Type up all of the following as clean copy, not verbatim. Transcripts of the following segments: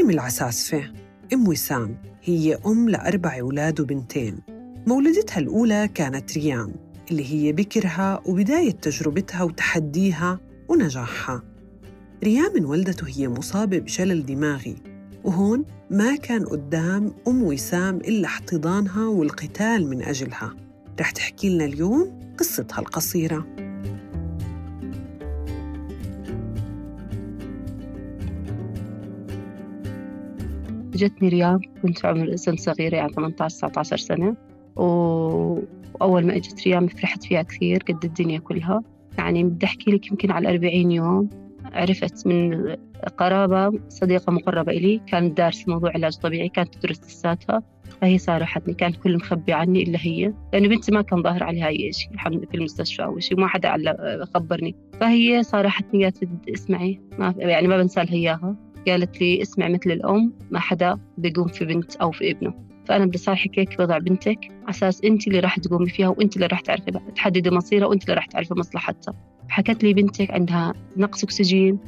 ريم العساسفة أم وسام هي أم ل4 أولاد وبنتين. مولدتها الأولى كانت ريام اللي هي بكرها وبداية تجربتها وتحديها ونجاحها. ريام انولدت وهي مصابة بشلل دماغي، وهون ما كان قدام أم وسام إلا احتضانها والقتال من أجلها. رح تحكي لنا اليوم قصتها القصيرة. جتني ريام كنت عمر سن صغيرة، يعني 18-19 سنة، وأول ما إجت ريام فرحت فيها كثير قد الدنيا كلها. يعني بدي أحكي لك يمكن على 40 يوم عرفت من قرابة صديقة مقربة إلي كانت دارسة موضوع علاج طبيعي، كانت تدرس لساتها، فهي صارحتني. كان كل مخبي عني إلا هي، لأنه بنتي ما كان ظاهر عليها أي شيء الحمد لله في المستشفى أو شيء، ما حدا خبرني. فهي صارحتني قالت لي اسمعي، ما بنسى لها إياها. قالت لي اسمع مثل الأم ما حدا بيقوم في بنت أو في ابنه، فأنا بدي صالحك هيك بوضع بنتك أساس أنت اللي راح تقومي فيها، وأنت اللي راح تعرفي تحددي مصيرها، وأنت اللي راح تعرفي مصلحتها. حكت لي بنتك عندها نقص أكسجين،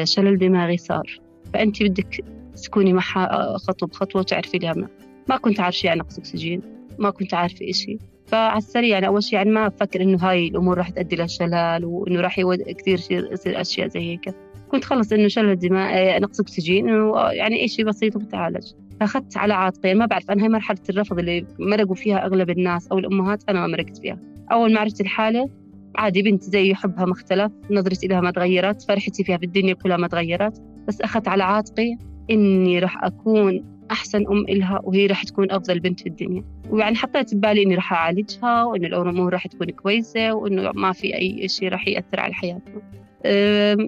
شلل دماغي صار، فأنت بدك تكوني معها خطوة بخطوة وتعرفي لها. ما كنت عارفة يعني نقص أكسجين، ما كنت عارفة إشي. فعلى السريع يعني أول شيء يعني ما أفكر إنه هاي الأمور راح تؤدي للشلل، وإنه راح كثير يصير أشياء زي هيك. كنت خلص إنه شلل دماغ، نقص أكسجين، إنه يعني إشي بسيط وبتعالج. فأخذت على عاتقي، ما بعرف أنا هاي مرحلة الرفض اللي مرقوا فيها أغلب الناس أو الأمهات، أنا ما مرقت فيها. أول ما عرفت الحالة عادي، بنت زي حبها ما اختلف، نظرتي لها ما تغيرت، فرحتي فيها في الدنيا كلها ما تغيرت، بس أخذت على عاتقي إني راح أكون أحسن أم إلها، وهي راح تكون أفضل بنت في الدنيا. ويعني حطيت ببالي إني راح أعالجها، وإنه الأمور راح تكون كويسة، وإنه ما في أي شيء راح يأثر على حياتنا.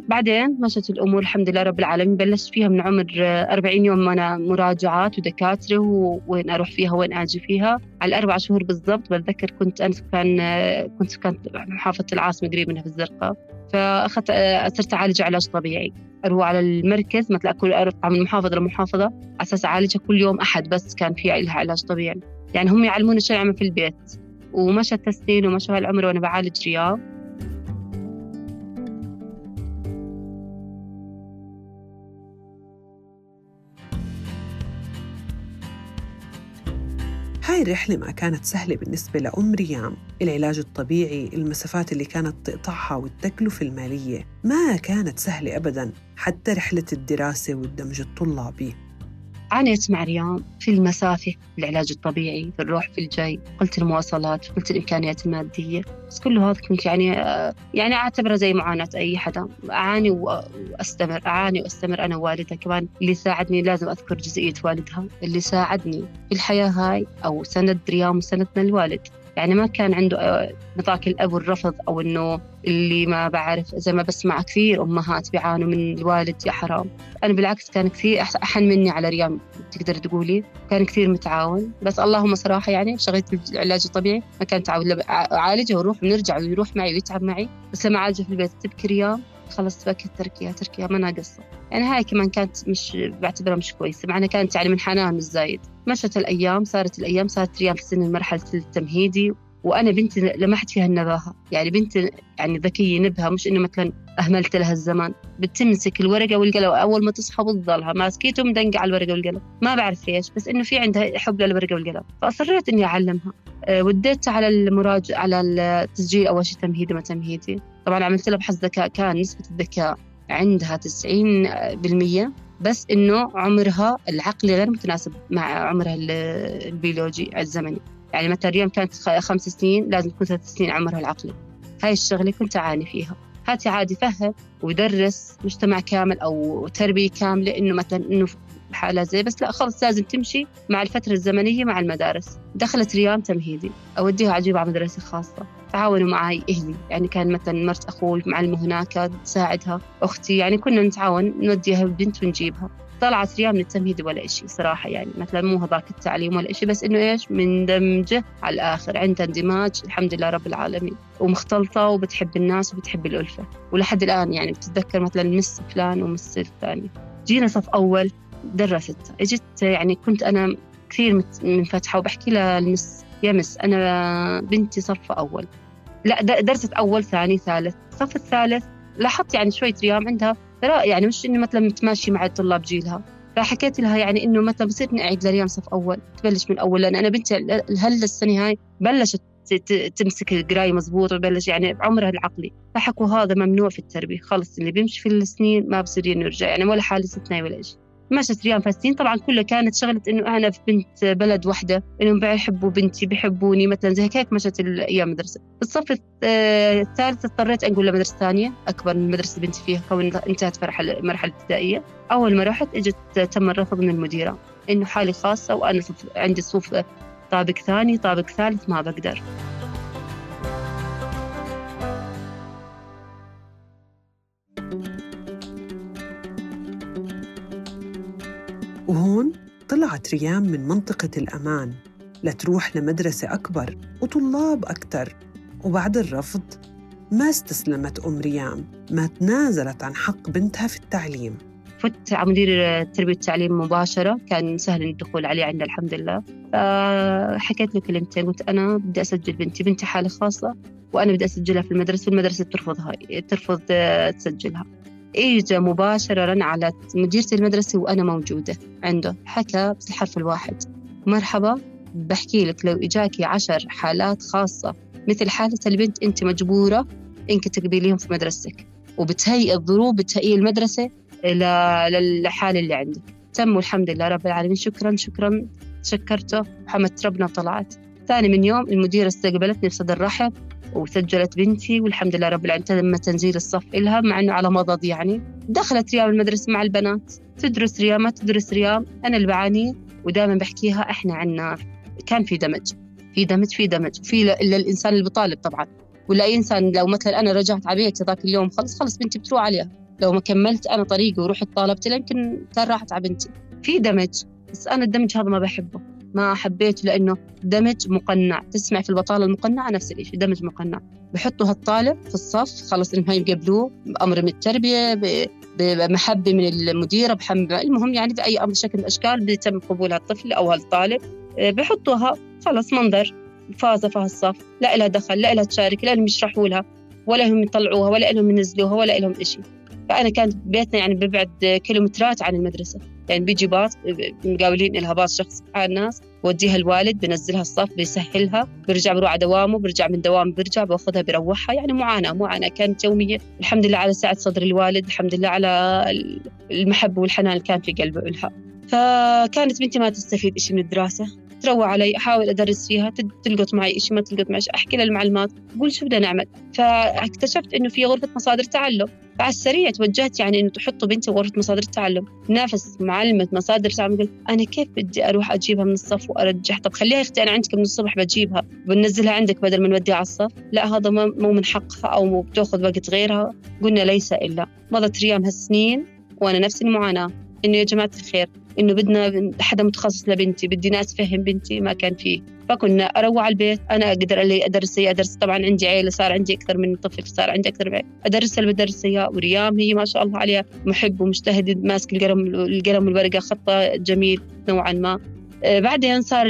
بعدين مشت الأمور الحمد لله رب العالمين. بلشت فيها من عمر 40 يوم أنا مراجعات ودكاترة، وين أروح فيها وين أجي فيها. على 4 شهور بالضبط بتذكر كنت سكان محافظة العاصمة قريب منها في الزرقاء. فأخذت صرت أعالج علاج طبيعي، أروح على المركز مثل أروح من محافظة لمحافظة على أساس أعالجها كل يوم أحد، بس كان فيها لها علاج طبيعي. يعني هم يعلمون شو نعمل في البيت. ومشى التسنين ومشى هالعمر وأنا بعالج رياض. هاي الرحلة ما كانت سهلة بالنسبة لأم ريام. العلاج الطبيعي، المسافات اللي كانت تقطعها، والتكلفة المالية ما كانت سهلة أبداً، حتى رحلة الدراسة والدمج الطلابي. عانيت مع ريام في المسافة، العلاج الطبيعي، في الروح في الجاي، قلت المواصلات، قلت الإمكانيات المادية، بس كل هذا كنت يعني أعتبره زي معاناة أي حدا. أعاني وأستمر أنا ووالدها كمان. اللي ساعدني لازم أذكر جزئية والدها اللي ساعدني في الحياة هاي، أو سند ريام وسندنا الوالد. يعني ما كان عنده نطاق الأب والرفض، أو إنه اللي ما بعرف، زي ما بسمع كثير أمهات بيعانوا من الوالد يا حرام. أنا بالعكس كان كثير أحن مني على ريام، تقدر تقولي كان كثير متعاون. بس اللهم صراحة يعني شغلة العلاج الطبيعي ما كان تعاون، أعالجه وروح ونرجع ويروح معي ويتعب معي. بس لما أعالجه في البيت تبكي ريام، خلص بكت تركيها ما ناقصة. يعني هاي كمان كانت مش بعتبرها مش كويسة، معنا كانت يعني من حنان مش زايد. مشت الأيام، صارت ريام في سن مرحلة التمهيدي، وأنا بنتي لمحت فيها النباهة. يعني بنتي يعني ذكية نبهة، مش إنه مثلا أهملت لها الزمان. بتمسك الورقة والقلم أول ما تصحى بتضلها ماسكيته مدنقة على الورقة والقلم، ما بعرف ليش، بس إنه في عندها حب للورقة والقلم. فأصريت إني أعلمها. وديت على المراجعة، على التسجيل أول شيء تمهيدي ما تمهيدي. طبعا عملت لها بحث ذكاء، كان نسبة الذكاء عندها 90%، بس إنه عمرها العقلي غير متناسب مع عمرها البيولوجي الزمني. يعني مثلا ريم كانت 5 سنين، لازم تكون 3 سنين عمرها العقلي. هاي الشغلة كنت أعاني فيها. هاتي عادي فهم ويدرس مجتمع كامل أو تربية كاملة، إنه مثلا إنه حالة زي، بس لا خلص لازم تمشي مع الفترة الزمنية مع المدارس. دخلت ريام تمهيدي، أوديها عجيبة على مدرسة خاصة. تعاونوا معي أهلي، يعني كان مثلا مرت أخوي معلمة هناك تساعدها، أختي، يعني كنا نتعاون نوديها البنت ونجيبها. طلعت ريام من التمهيدي ولا إشي صراحة، يعني مثلا مو هذاك التعليم ولا إشي، بس إنه إيش مندمجة على الآخر، عندها اندماج الحمد لله رب العالمين، ومختلطة وبتحب الناس وبتحب الألفة. ولحد الآن يعني بتتذكر مثلا مس فلان ومس الثاني. جينا صف أول درست، اجت يعني كنت أنا كثير منفتحة وبحكي لها المس، يا مس أنا بنتي صف أول. لا درست أول ثاني ثالث. صف الثالث لاحظت يعني شوية ريام عندها يعني مش إنه مثلا متماشي مع الطلاب جيلها، فحكيت لها يعني إنه متى بصير نعيد لريم صف أول، تبلش من أول، لأن أنا بنتي هلا السنة هاي بلشت تمسك القراية مزبوط وبلش يعني بعمرها العقلي. فحكوا هذا ممنوع في التربية، خلص اللي بيمشي في السنين ما بصير يرجع، يعني ولا حالة استثنائية ولا شيء. مشت ريم فالسنين طبعا كلها كانت شغلة إنه أنا في بنت بلد واحدة، إنهم بيحبوا بنتي بيحبوني مثلا زي هيك. مشت الأيام مدرسة. بالصف الثالث اضطريت أنقل لمدرسة ثانية أكبر من مدرسة بنتي فيها، كون انتهت مرحلة ابتدائية. أول ما رحت إجت تم الرفض من المديرة إنه حالي خاصة وأنا عندي صفوف طابق ثاني طابق ثالث ما بقدر. وهون طلعت ريام من منطقة الأمان لتروح لمدرسة أكبر وطلاب أكتر. وبعد الرفض ما استسلمت أم ريام، ما تنازلت عن حق بنتها في التعليم. فت على مدير التربية والتعليم مباشرة، كان سهل الدخول عليه عندنا الحمد لله. حكيت له كلمتين، قلت أنا بدي أسجل بنتي حالة خاصة وأنا بدي أسجلها في المدرسة، والمدرسة ترفض تسجلها. إجا مباشرة رن على مديرة المدرسة وأنا موجودة عنده، حكى بالحرف الواحد: مرحبا، بحكي لك لو إجاكي 10 حالات خاصة مثل حالة البنت أنت مجبورة إنك تقبليهم في مدرستك، وبتهيئ الظروف بتهيئ المدرسة للحالة اللي عندك. تم والحمد لله رب العالمين. شكرا شكرته وحمدت ربنا وطلعت. ثاني من يوم المديرة استقبلتني بصدر رحب وسجلت بنتي والحمد لله رب العالمين. تم تنزيل الصف إلها مع أنه على مضض يعني. دخلت ريام المدرسة مع البنات، تدرس ريام ما تدرس ريام أنا اللي بعاني. ودائما بحكيها إحنا عنا كان في دمج وفي إلا الإنسان اللي بطالب طبعا، ولا أي إنسان. لو مثلا أنا رجعت على بيتي ذاك اليوم خلص بنتي بتروح عليها، لو ما كملت أنا طريقي ورحت طالبت يمكن كان راحت على بنتي. في دمج، بس أنا الدمج هذا ما بحبه، ما حبيته، لأنه دمج مقنع. تسمع في البطالة المقنعة نفس الشيء، دمج مقنع. بحطوا هالطالب في الصف خلص إنهم يقبلوه بأمر من التربية، بمحبة من المديرة، المهم يعني بأي أمر شكل من الأشكال بيتم قبول هالطفل أو هالطالب. بحطوها خلص منظر فاز الصف، لا إلها دخل، لا إلها تشارك، لا لهم يشرحوا لها ولا هم يطلعوها ولا لهم ينزلوها ولا لهم إشي. فأنا كانت بيتنا يعني ببعد كيلومترات عن المدرسة، يعني بيجي باص مقاولين إلها باص شخص على الناس، وديها الوالد بنزلها الصف بيسهلها، برجع بروح على دوامه، برجع من دوام برجع باخذها بروحها. يعني معاناة كانت يومية. الحمد لله على سعة صدر الوالد، الحمد لله على المحبة والحنان اللي كان في قلبه لها. فكانت بنتي ما تستفيد إشي من الدراسة، تروى علي، أحاول أدرس فيها، تلقط معي إشي ما تلقط معي، أحكي للمعلمات أقول شو بدنا نعمل. فاكتشفت إنه في غرفة مصادر تعلم، فعلى السريع توجهت يعني إنه تحطوا بنتي غرفة مصادر التعلم. نافس معلمة مصادر التعلم قلت أنا كيف بدي أروح أجيبها من الصف وأرجح؟ طب خليها أختي أنا عندك من الصبح بجيبها بنزلها عندك بدل ما نوديها على الصف. لا هذا مو من حقها أو بتأخذ وقت غيرها. قلنا ليس إلا. مضت ريام هالسنين وأنا نفس المعاناة، إنه يا جماعة الخير إنه بدنا حدا متخصص لبنتي، بدي ناس فهم بنتي، ما كان فيه. فكنا أروح على البيت، أنا أقدر اللي أدرس طبعا عندي عيلة، صار عندي أكثر من طفل، صار عندي أكثر من عيلة أدرسها اللي بدرسها. وريام هي ما شاء الله عليها محب ومجتهد، ماسك القلم والورقة، خطة جميل نوعا ما. بعدين صار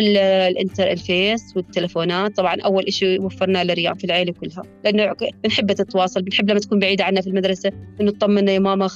الفيس والتلفونات. طبعا أول إشي وفرنا لريام في العيلة كلها، لأنه بنحب تتواصل، بنحب لما تكون بعيدة عنا في المدرسة إنه تطمنا يا ماما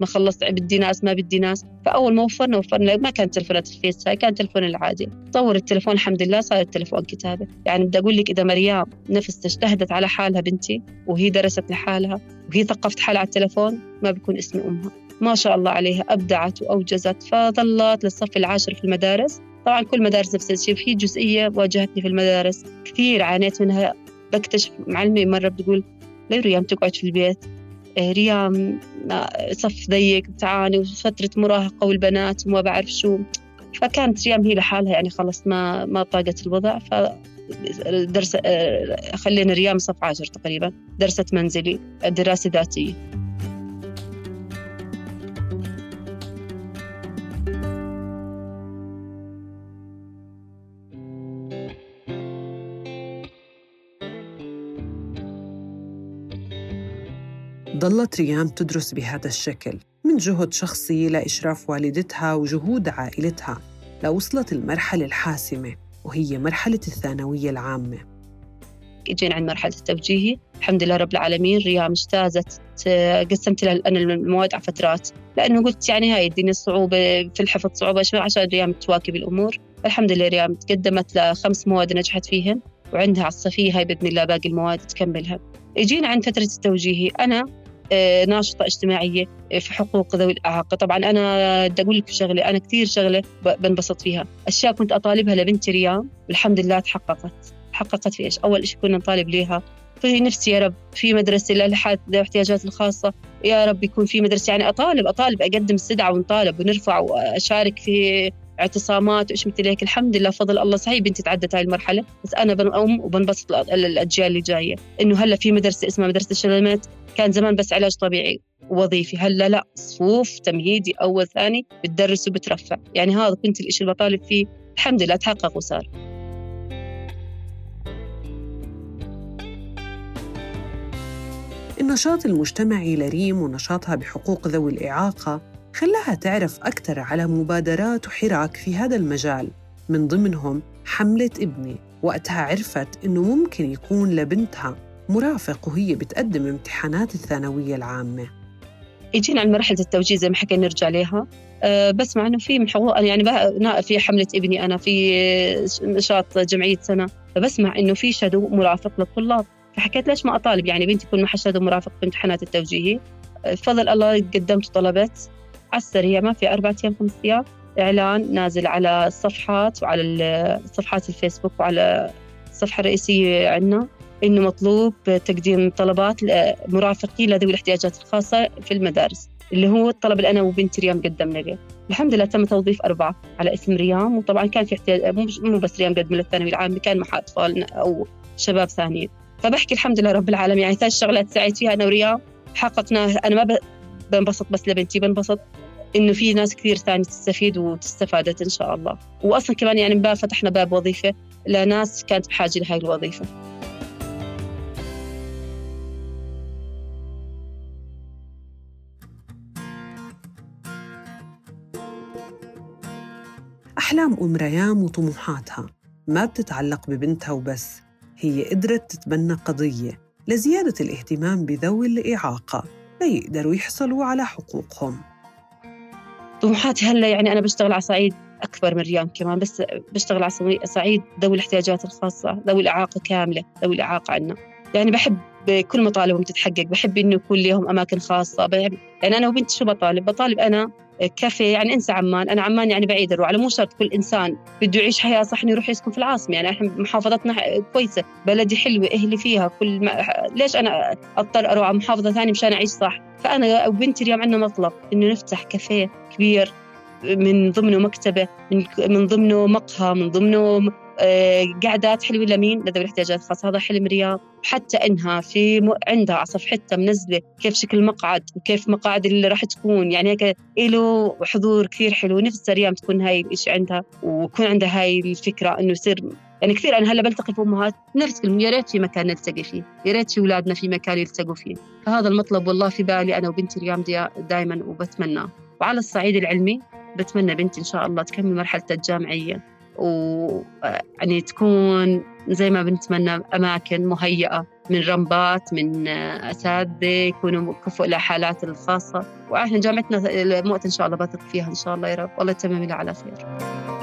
ما خلصت بدي ناس ما بدي ناس. فأول ما وفرنا ما كان تلفونات الفيس، هاي كان تلفون العادي. طور التلفون الحمد لله صار التلفون كتابة. يعني بدي أقول لك إذا مريم نفس اجتهدت على حالها بنتي وهي درست لحالها وهي ثقفت حالها على التلفون ما بيكون اسم أمها. ما شاء الله عليها أبدعت وأوجزت. فظلت للصف العاشر في المدارس. طبعا كل مدارس نفس الشيء. في جزئية واجهتني في المدارس كثير عانيت منها. بكتشف معلمي مرة بتقول ليه ريام تقعد في البيت، ريام صف ضيق بتعاني وفترة مراهقة والبنات وما بعرف شو. فكانت ريام هي لحالها يعني خلص ما طاقت الوضع. فدرس خلينا ريام صف 10 تقريبا، درست منزلي، دراسة ذاتية. ضلت ريام تدرس بهذا الشكل من جهد شخصي لإشراف والدتها وجهود عائلتها، لوصلت المرحلة الحاسمة وهي مرحلة الثانوية العامة. اجينا عند مرحلة التوجيهي، الحمد لله رب العالمين ريام اجتازت قسمت لها أنا المواد على فترات، لأنه قلت يعني هاي الدنيا صعوبة في الحفظ، صعوبة شوي، عشان ريم تواكب الأمور. الحمد لله ريم تقدمت ل5 مواد نجحت فيهن، وعندها على الصفية هاي بإذن الله باقي المواد تكملها. اجينا عند فترة التوجيهي، أنا ناشطة اجتماعية في حقوق ذوي الإعاقة. طبعا أنا بدي أقول لك شغلة، أنا كثير شغلة بنبسط فيها، أشياء كنت أطالبها لبنتي ريم والحمد لله تحققت في إيش؟ أول إشي كنا نطالب ليها في نفسي يا رب في مدرسة للحد ذوي الاحتياجات الخاصة، يا رب يكون في مدرسة، يعني أطالب أقدم استدعاء ونطالب ونرفع وأشارك في اعتصامات وإيش مثل هيك. الحمد لله فضل الله. صحيح بنتي تعدت هاي المرحلة، بس أنا بنقوم وبنبسط الأجيال اللي جاية إنه هلا في مدرسة اسمها مدرسة الشلمات، كان زمان بس علاج طبيعي ووظيفي، هلا لا، صفوف تمهيدي أول ثاني بتدرس وبترفع. يعني هذا كنت الإشي اللي بطالب فيه، الحمد لله تحقق وصار. النشاط المجتمعي لريم ونشاطها بحقوق ذوي الإعاقة خلاها تعرف أكثر على مبادرات وحراك في هذا المجال، من ضمنهم حملة ابني. وقتها عرفت إنه ممكن يكون لبنتها مرافق وهي بتقدم امتحانات الثانوية العامة. يجينا عن مرحلة التوجيه زي ما حكينا نرجع لها، بسمع إنه في من حقوق، يعني في حملة ابني أنا في نشاط جمعية سنة، فبسمع إنه في شادو مرافق للطلاب، فحكيت ليش ما أطالب يعني بنتي يكون معها شادو مرافق في امتحانات التوجيهي. بفضل الله قدمت طلبت على السريع، ما في 4 أيام 5 أيام إعلان نازل على الصفحات وعلى صفحات الفيسبوك وعلى الصفحة الرئيسية عنا إنه مطلوب تقديم طلبات مرافقين لذوي الاحتياجات الخاصة في المدارس، اللي هو الطلب اللي أنا وبنت ريم قدمنا له. الحمد لله تم توظيف 4 على اسم ريم، وطبعا كان في احتياج مو بس ريم قدم للثانوي العام، كان مع أطفال أو شباب ثانيين. فبحكي الحمد لله رب العالمين، يعني 3 شغلات سعيت فيها أنا وريم حققناها. أنا ما بنبسط بس لبنتي، بنبسط إنه في ناس كثير ثاني تستفيد وتستفادت إن شاء الله. وأصلا كمان يعني فتحنا باب وظيفة لناس كانت بحاجة لهاي الوظيفة. أحلام أم ريام وطموحاتها ما بتتعلق ببنتها وبس، هي قدرت تتبنى قضية لزيادة الاهتمام بذوي الإعاقة ليقدروا يحصلوا على حقوقهم. طموحاتي هلا يعني أنا بشتغل على صعيد أكبر من ريم كمان، بس بشتغل على صعيد ذوي الاحتياجات الخاصة، ذوي الإعاقة كاملة، ذوي الإعاقة عنا. يعني بحب كل مطالبهم تتحقق، بحب إنه يكون لهم أماكن خاصة. يعني أنا وبنتي شو بطالب أنا كافيه، يعني انسى عمان، انا عمان يعني بعيد الروح، على مو شرط كل انسان بده يعيش حياه صح انه يروح يسكن في العاصمه. يعني احنا محافظتنا كويسه، بلدي حلوه، اهلي فيها ليش انا اضطر اروح على محافظه ثانيه مشان اعيش صح؟ فانا وبنتي اليوم عندنا مطلب انه نفتح كافيه كبير، من ضمنه مكتبه، من ضمنه مقهى، من ضمنه قعدات حلوة لمين؟ لذوي الاحتياجات الخاصة. هذا حلم رياض، حتى إنها عندها على صفحتها منزلة كيف شكل المقعد وكيف مقاعد اللي راح تكون، يعني هيك له حضور كثير حلو. نفسي ريم تكون هاي الإشي عندها ويكون عندها هاي الفكرة إنه يصير. يعني كثير أنا هلا بلتقي في أمهات نفس كلمة، يا ريت في مكان نلتقي فيه، يا ريت في أولادنا في مكان يلتقوا فيه. فهذا المطلب والله في بالي أنا وبنتي ريم دائما وبتمناه. وعلى الصعيد العلمي بتمنى بنتي إن شاء الله تكمل مرحلة الجامعية، ويعني تكون زي ما بنتمنى أماكن مهيئة من رمبات، من أساتذة يكونوا كفؤ لحالات الخاصة. وإحنا جامعتنا المؤتة إن شاء الله بثق فيها إن شاء الله يا رب، والله يتمم لها على خير.